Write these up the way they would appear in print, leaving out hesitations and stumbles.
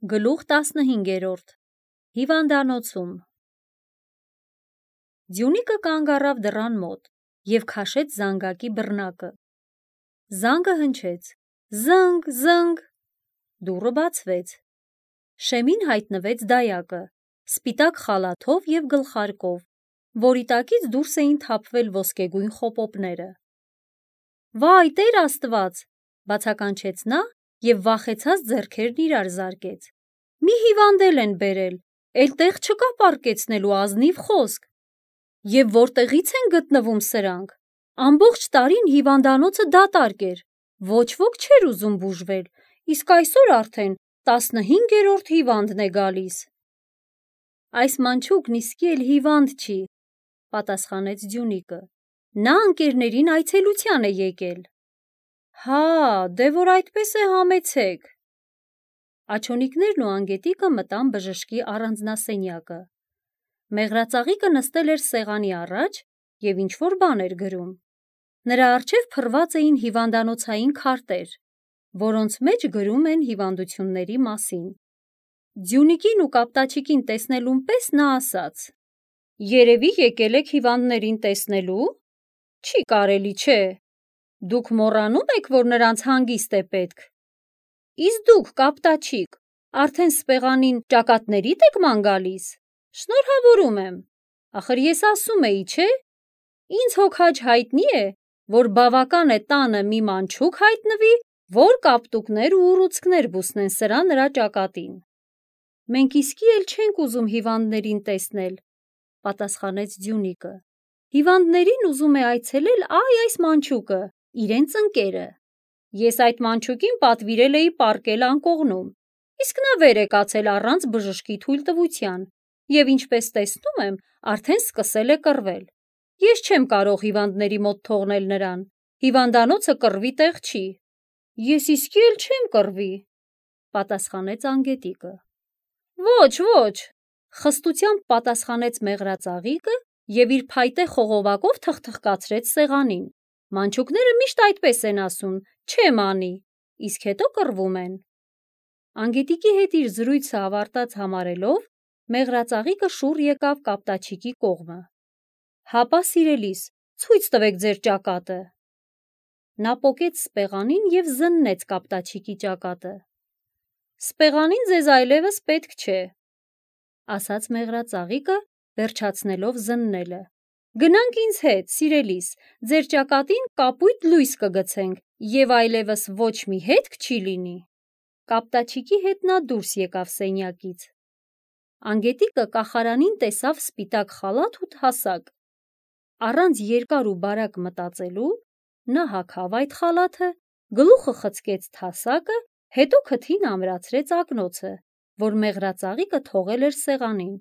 Գլուխ 15 Հիվանդանոցում Ձյունիկը կանգ առավ դռան մոտ և քաշեց զանգակի բռնակը: Զանգը հնչեց. զնգ, զնգ: Դուռը բացվեց: Շեմին հայտնվեց դայակը, սպիտակ խալաթով և գլխարկով, որի տակից դուրս էին թափվել ոսկեգույն խոպոպները: Վայ, Տեր Աստված, բացականչեց նա և վախեցած ձեռքերն իրար զարկեց: Մի հիվանդել են բերել, էլ տեղ չկա պառկեցնելու, ազնիվ խոսք: Եվ որտեղի՞ց են գտնվում սրանք: Ամբողջ տարին հիվանդանոցը դատարկ էր, ոչ ոք չէր ուզում բուժվել, իսկ այսօր արդեն 15-րդ հիվանդն է գալիս: Այս մանչուկն իսկի էլ հիվանդ չի, պատասխանեց Ձյունիկը, նա ընկերներին այցելության է եկել: Հա, դե որ այդպես է, համեցեք: Աջոնիկներն ու անգետիկը մտան բժշկի առանձնասենյակը: Մեղրածաղիկը նստել էր սեղանի առաջ և ինչ-որ բան էր գրում: Նրա առջև փռված էին հիվանդանոցային քարտեր, որոնց մեջ գրում են հիվանդությունների մասին: Ձյունիկին ու Կապտաչիկին տեսնելուն պես նա ասաց. Երևի եկել եք հիվանդներին տեսնելու: Չի կարելի, չէ: Դուք մոռանում եք, որ նրանց հանգիստ է պետք: Իսկ դուք, Կապտաչիկ, արդեն սպեղանին ճակատներիդ եք ման գալիս: Շնորհավորում եմ: Ախր ես ասում էի, չէ: Ինձ հոգաջ հայտնի է, որ բավական է տանը մի մանչուկ հայտնվի, որ կապտուկներ ու ուռուցքներ բուսնեն սրա-նրա ճակատին: Մենք իսկի էլ չենք ուզում հիվանդներին տեսնել, պատասխանեց Ձյունիկը: Հիվանդներին ուզում է այցելել այս մանչուկը, իրենց ընկերը: Ես այդ մանչուկին պատվիրել էի պառկել անկողնում, իսկ նա վեր է կացել առանց բժշկի թույլտվության և ինչպես տեսնում եմ, արդեն սկսել է կռվել: Ես չեմ կարող հիվանդների մոտ թողնել նրան, հիվանդանոցը կռվի տեղ չի: Ես իսկի էլ չեմ կռվի, պատասխանեց անգետիկը: Ոչ, խստությամբ պատասխանեց մեղրածաղիկը և իր փայտե խողովակով թխթխկացրեց սեղանին: Մանչուկները միշտ այդպես են ասում, չեմ անի, իսկ հետո կռվում են: Անգետիկի հետ իր զրույցը ավարտած համարելով, մեղրածաղիկը շուռ եկավ Կապտաչիկի կողմը: Հապա սիրելիս, ցույց տվեք ձեր ճակատը: Նա պոկեց սպեղանին և զննեց Կապտաչիկի ճակատը: Սպեղանին ձեզ այլևս պետք չէ, ասաց մեղրածաղիկը, վերջացնելով զննելը: Գնանք ինձ հետ, սիրելիս, ձեր ճակատին կապույտ լույս կգցենք և այլևս ոչ մի հետք չի լինի: Կապտաչիկի հետ նա դուրս եկավ սենյակից: Անգետիկը կախարանին տեսավ սպիտակ խալաթ ու հասակ: Առանց երկար ու բարակ մտածելու, նա հագավ այդ խալաթը, գլուխը խցկեց թասակը, հետո քթին ամրացրեց ակնոցը, որ մեղրածաղիկը թողել էր սեղանին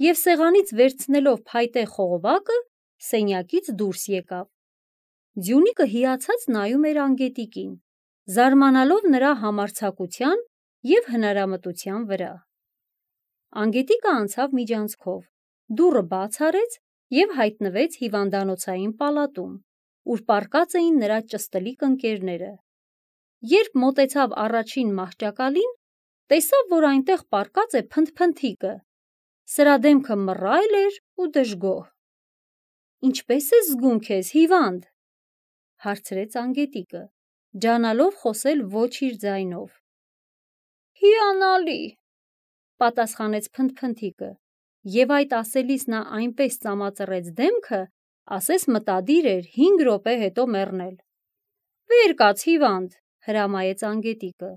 և սեղանից վերցնելով փայտե խողովակը, սենյակից դուրս եկավ: Ձյունիկը հիացած նայում էր անգետիկին, զարմանալով նրա համարձակության և հնարամտության վրա: Անգետիկը անցավ միջանցքով, դուռը բաց արեց և հայտնվեց հիվանդանոցային պալատում, ուր պառկած էին նրա ճստլիկ ընկերները: Երբ մոտեցավ առաջին մահճակալին, տեսավ, որ այնտեղ պառկած է Փնթփնթիկը: Սրա դեմքը մռայլ էր ու դժգոհ: Ինչպե՞ս ես զգում քեզ, հիվանդ: Հարցրեց անգետիկը, ջանալով խոսել ոչ իր ձայնով: Հիանալի, պատասխանեց Փնթփնթիկը և այդ ասելիս նա այնպես ծամածռեց դեմքը, ասես մտադիր էր 5 րոպե հետո մեռնել: Վեր կաց, հիվանդ, հրամայեց անգետիկը: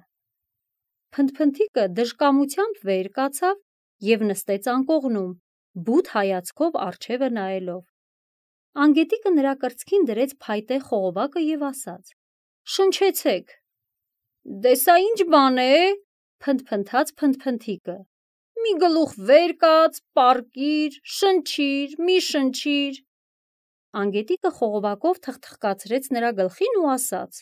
Փնթփնթիկը դժկամությամբ վեր կացավ և նստեց անկողնում, բութ հայացքով առջևը նայելով: Անգետիկը նրա կրծքին դրեց փայտե խողովակը և ասաց. Շնչեցեք: Դե սա ինչ բան է, փնթփնթաց Փնթփնթիկը: Մի գլուխ վեր կաց, պառկիր, շնչիր, մի շնչիր: Անգետիկը խողովակով թխթխկացրեց նրա գլխին ու ասաց.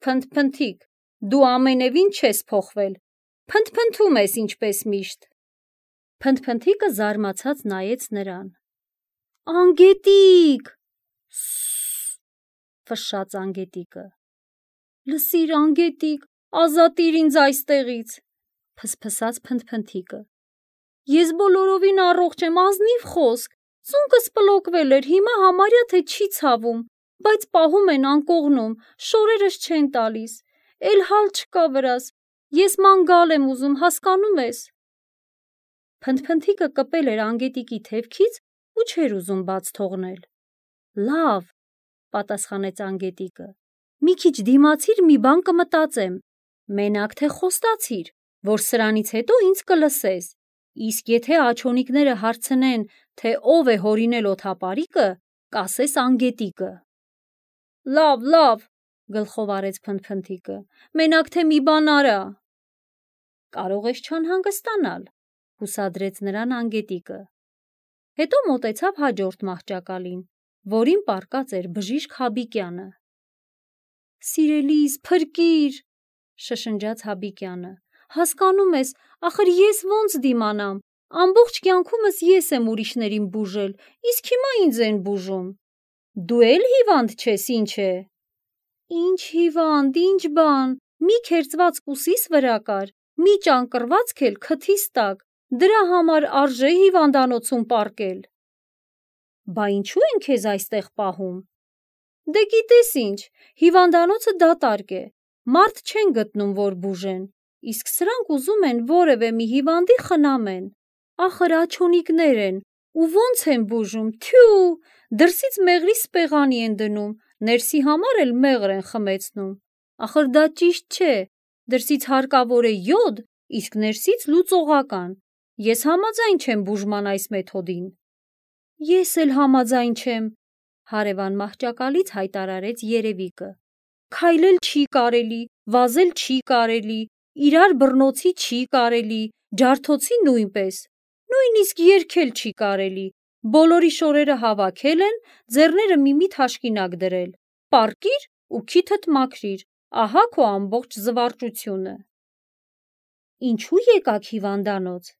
Փնթփնթիկ, դու ամենևին չես փոխվել, փնթփնթում ես ինչպես միշտ: Փնթփնթիկը զարմացած նայեց նրան: Անգետիկ, ֆշշաց անգետիկը: Լսիր անգետիկ, ազատիր ինձ այստեղից: Փսփսաց փնթփնթիկը։ Ես բոլորովին առողջ եմ, ազնիվ խոսք։ Ծունկս պլոկվել էր, հիմա համարյա թե չի ցավում, բայց պահում են անկողնում, շորերս չեն տալիս։ Էլ հալ չկա վրաս։ Ես մանգալ եմ ուզում, հասկանում ես։ Փնթփնթիկը կպել էր Անգետիկի թևքից ու չէր ուզում բաց թողնել։ Լավ, պատասխանեց Անգետիկը։ Մի քիչ դիմացիր, մի բան կմտածեմ։ Մենակ թե խոստացիր, որ սրանից հետո ինձ կլսես։ Իսկ եթե աջոնիկները հարցնեն, թե ով է հորինել օդապարիկը, կասես Անգետիկը։ Լավ, գլխով արեց Փնթփնթիկը։ Մենակ թե մի բան արա։ Կարող ես չանհանգստանալ, հուսադրեց նրան Անգետիկը։ Հետո մոտեցավ հաջորդ մահճակալին, որին պառկած էր բժիշկ Հաբիկյանը։ Սիրելիս, փրկիր, շշնջաց Հաբիկյանը։ Հասկանում ես, ախր ես ոնց դիմանամ։ Ամբողջ կյանքումս ես եմ ուրիշներին բուժել, իսկ հիմա ինձ են բուժում։ Դու էլ հիվանդ չես, ինչ է։ Ինչ հիվանդ, ինչ բան, մի քերծված կուսիս վրա կար, մի ճանկռվածք էլ քթիս տակ, դրա համար արժե հիվանդանոցում պառկել։ Բա ինչու են քեզ այստեղ պահում։ Դե գիտես ինչ, հիվանդանոցը դատարկ է, մարդ չեն գտնում, որ բուժեն, իսկ սրանք ուզում են որևէ մի հիվանդի խնամեն։ Ախր աջոնիկներ են, ու ոնց են բուժում, թյու, դրսից մեղրի սպեղանի են դնում, ներսի համար էլ մեղր են խմեցնում։ Ախր դա ճիշտ չէ, դրսից հարկավոր է յոդ, իսկ ներսից լուծողական։ Ես համաձայն չեմ բուժման այս մեթոդին։ Ես էլ համաձայն չեմ, հարևան մահճակալից հայտարարեց Երևիկը։ Քայլել չի կարելի, վազել չի կարելի, իրար բռնոցի չի կարելի, ջարդոցի նույնպես, նույնիսկ երգել չի կարելի, բոլորի շորերը հավաքել են, ձեռները միմի թաշկինակ դրել, պառկիր ու քիթդ մաքրիր, ահա քո ամբողջ զվարճությունը։ Ինչու եկաք հիվանդանոց։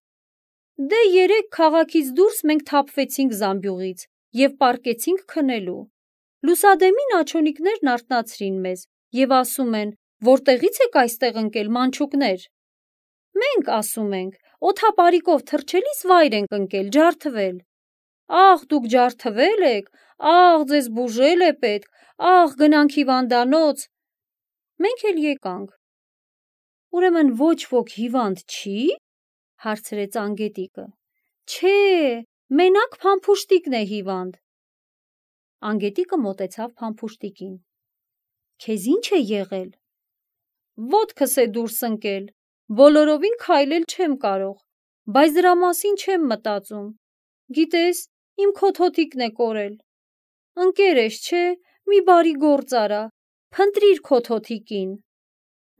Դե երեկ քաղաքից դուրս մենք թափվեցինք զամբյուղից և պառկեցինք քնելու։ Լուսադեմին աջոնիկներն արթնացրին մեզ և ասում են, որտեղից եք այստեղ ընկել, մանչուկներ։ Մենք ասում ենք, օդապարիկով թռչելիս վայր ենք ընկել, ջարդվել։ Աղ, դուք ջարդվել եք, աղ, ձեզ բուժել է պետք, աղ, գնանք հիվանդանոց։ Մենք էլ եկանք։ Ուրեմն ոչ ոք հիվանդ չի, հարցրեց Անգետիկը։ Չէ, մենակ Փամփուշտիկն է հիվանդ։ Անգետիկը մոտեցավ Փամփուշտիկին։ Քեզ ինչ է եղել։ Ոտքս է դուրս ընկել, բոլորովին քայլել չեմ կարող, բայց դրա մասին չեմ մտածում։ Գիտես, իմ քոթոթիկն է կորել։ Ընկեր ես, չէ, մի բարի գործ արա, փնտրիր քոթոթիկին։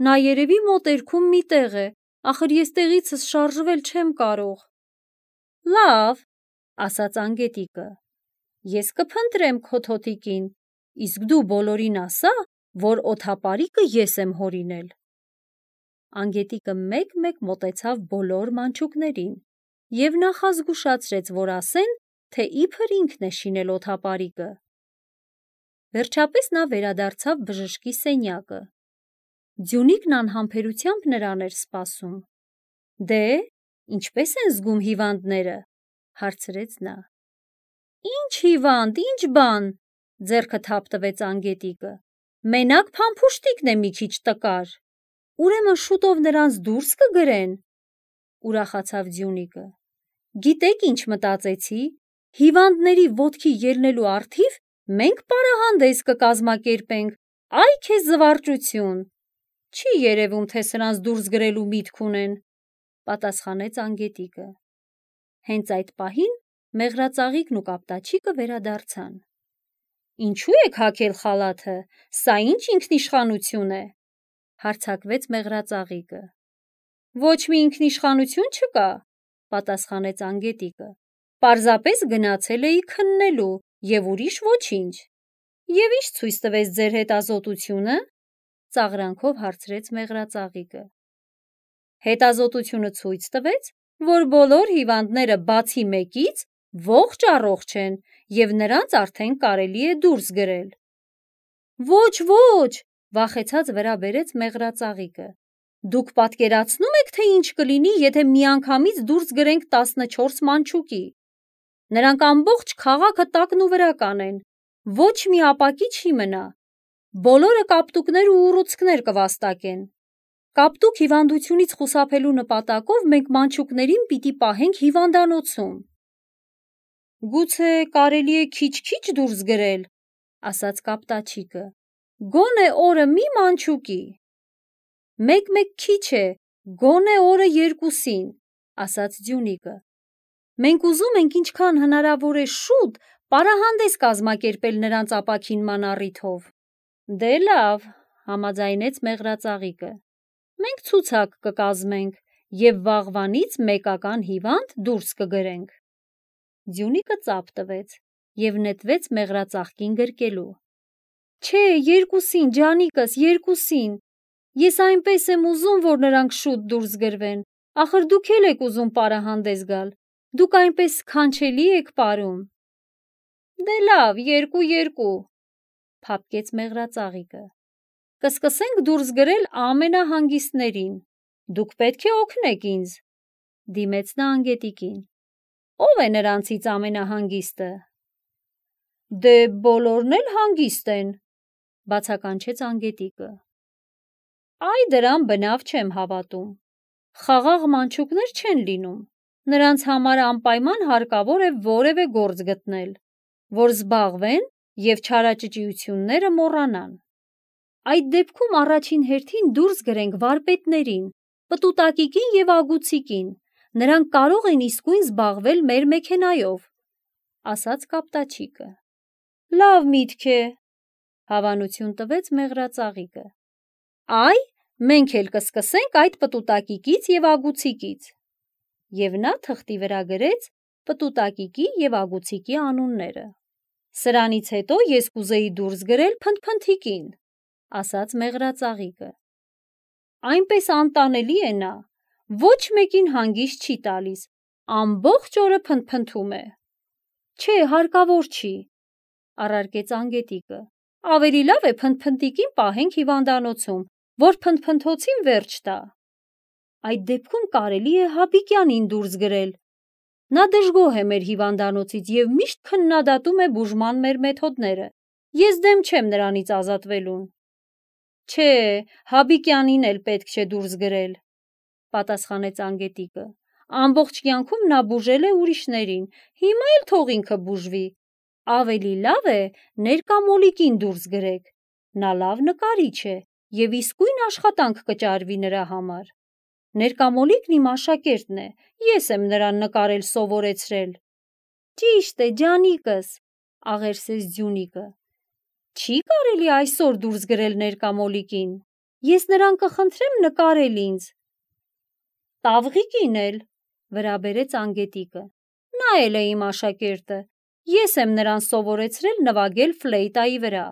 Նա երևի մոտերքում մի տեղ է, ախր ես տեղիցս շարժվել չեմ կարող։ Լավ, ասաց Անգետիկը, ես կփնտրեմ քոթոթիկին, իսկ դու բոլորին ասա, որ օդապարիկը ես եմ հորինել։ Անգետիկը մեկ-մեկ մոտեցավ բոլոր մանչուկներին և նախազգուշացրեց, որ ասեն, թե իբր ինքն է շինել օդապարիկը։ Վերջապես նա վերադարձավ բժշկի սենյակը։ Ձյունիկն անհամբերությամբ նրան էր սպասում։ Դե, ինչպես են զգում հիվանդները, հարցրեց նա։ Ինչ հիվանդ, ինչ բան, ձեռքը թափտվեց Անգետիկը։ Մենակ Փամփուշտիկն է մի քիչ տկար։ Ուրեմն շուտով նրանց դուրս կգրեն, ուրախացավ Ձյունիկը։ Գիտեք ինչ մտածեցի, հիվանդների ոտքի ելնելու առթիվ մենք պարահանդես կկազմակերպենք, այ քեզ զվարճություն։ Չի երևում, թե սրանց դուրս գրելու միտք ունեն, պատասխանեց Անգետիկը։ Հենց այդ պահին մեղրածաղիկն ու կապտաչիկը վերադարձան։ Ինչու եք հագել խալաթը, սա ինչ ինքնիշխանություն է, հարցակվեց մեղրածաղիկը։ Ոչ մի ինքնիշխանություն չկա, պատասխանեց Անգետիկը։ Պարզապես գնացել էի քննելու և ուրիշ ոչինչ։ Եվ ինչ ցույց տվեց ձեր հետազոտությունը, ծաղրանքով հարցրեց մեղրածաղիկը։ Հետազոտությունը ցույց տվեց, որ բոլոր հիվանդները բացի մեկից ողջ առողջ են և նրանց արդեն կարելի է դուրս գրել։ Ոչ, վախեցած վրա բերեց մեղրածաղիկը։ Դուք պատկերացնում եք, թե ինչ կլինի, եթե միանգամից դուրս գրենք 14 մանչուկի։ Նրանք ամբողջ քաղաքը տակն ու վրա կանեն, ոչ մի ապակի չի մնա, բոլորը կապտուկներ ու ուռուցքներ կվաստակեն։ Կապտուկ հիվանդությունից խուսափելու նպատակով մենք մանչուկներին պիտի պահենք հիվանդանոցում։ Գուցե կարելի է քիչ-քիչ դուրս գրել, ասաց կապտաչիկը, գոնե օրը մի մանչուկի։ Մեկ-մեկ քիչ է, գոնե օրը 2-ին, ասաց Ձյունիկը։ Մենք ուզում ենք ինչքան հնարավոր է շուտ պարահանդես կազմակերպել նրանց ապաքինման առիթով։ Դե լավ, համաձայնեց Մեղրածաղիկը։ Մենք ցուցակ կկազմենք և վաղվանից մեկական հիվանդ դուրս կգրենք։ Ձյունիկը ծափ տվեց և նետվեց Մեղրածաղկին գրկելու։ Չէ, 2-ին, ջանիկս, 2-ին։ Ես այնպես եմ ուզում, որ նրանք շուտ դուրս գրվեն, ախր դուք էլ եք ուզում պարահանդես գալ, դուք այնպես սքանչելի եք պարում։ Դե լավ, 2-2, փափկեց Մեղրածաղիկը։ Կսկսենք դուրս գրել ամենահանգիստներին, դուք պետք է օգնեք ինձ, դիմեց նա Անգետիկին։ Ո՞վ է նրանցից ամենահանգիստը։ Դե բոլորն էլ հանգիստ են, բացականչեց Անգետիկը։ Այ դրան բնավ չեմ հավատում։ Խաղաղ մանչուկներ չեն լինում, նրանց համար անպայման հարկավոր է որևէ գործ գտնել, որ զբաղվեն և չարաճճիությունները մոռանան։ Այդ դեպքում առաջին հերթին դուրս գրենք վարպետներին, պտուտակիկին և ագուցիկին, նրանք կարող են իսկույն զբաղվել մեր մեքենայով, ասաց կապտաչիկը։ Լավ միտք է, հավանություն տվեց Մեղրածաղիկը։ Այ, մենք էլ կսկսենք այդ պտուտակիկից և ագուցիկից։ Եվ նա թղթի վրա գրեց պտուտակիկի և ագուցիկի անունները։ Սրանից հետո ես կուզեի դուրս գրել փնթփնթիկին, ասաց Մեղրածաղիկը։ Այնպես անտանելի է նա, ոչ մեկին հանգիստ չի տալիս, ամբողջ օրը փնթփնթում է։ Չէ, հարկավոր չի, առարկեց Անգետիկը։ Ավելի լավ է փնթփնթիկին պահենք հիվանդանոցում, որ փնթփնթոցին վերջ տա։ Այդ դեպքում կարելի է Հաբիկյանին դուրս գրել։ Նա դժգոհ է մեր հիվանդանոցից և միշտ քննադատում է բուժման մեր մեթոդները։ Ես դեմ չեմ նրանից ազատվելուն։ Չէ, Հաբիկյանին էլ պետք չէ դուրս գրել, պատասխանեց Անգետիկը։ Ամբողջ կյանքում նա բուժել է ուրիշներին, հիմա էլ թող ինքը բուժվի։ Ավելի լավ է Ներկամոլիկին դուրս գրեք։ Նա լավ նկարիչ է և իսկույն աշխատանք կճարվի նրա համար։ Ներկամոլիկն իմ աշակերտն է, ես եմ նրան նկարել սովորեցրել։ Ճիշտ է, ջանիկս, աղերսեց Ձյունիկը։ Չի կարելի այսօր դուրս գրել Ներկամոլիկին։ Ես նրան կխնդրեմ նկարել ինձ։ Տավղիկին էլ, վրա բերեց Անգետիկը։ Նա էլ է իմ աշակերտը, ես եմ նրան սովորեցրել նվագել ֆլեյտայի վրա։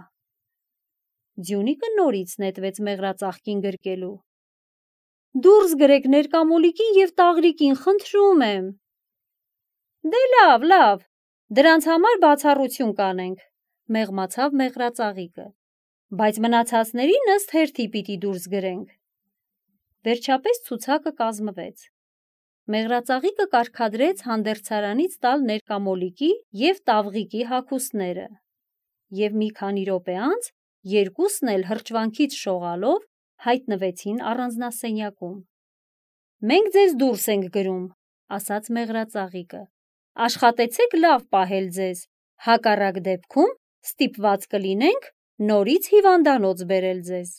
Ձյունիկը նորից նետվեց Մեղրածաղկին գրկելու։ Դուրս գրեք Ներկամոլիկին և Տաղրիկին, խնդրում եմ։ Դե լավ, լավ, դրանց համար բացառություն կանենք, մեղմացավ Մեղրածաղիկը, բայց մնացածներին ըստ հերթի պիտի դուրս գրենք։ Վերջապես ցուցակը կազմվեց։ Մեղրածաղիկը կարգադրեց հանդերձարանից տալ Ներկամոլիկի և Տավղիկի հագուստները, և մի քանի րոպե անց երկուսն էլ հրճվանքից շողալով հայտնվեցին առանձնասենյակում։ Մենք ձեզ դուրս ենք գրում, ասաց Մեղրածաղիկը։ Աշխատեցեք լավ պահել ձեզ, հակառակ դեպքում ստիպված կլինենք նորից հիվանդանոց բերել ձեզ։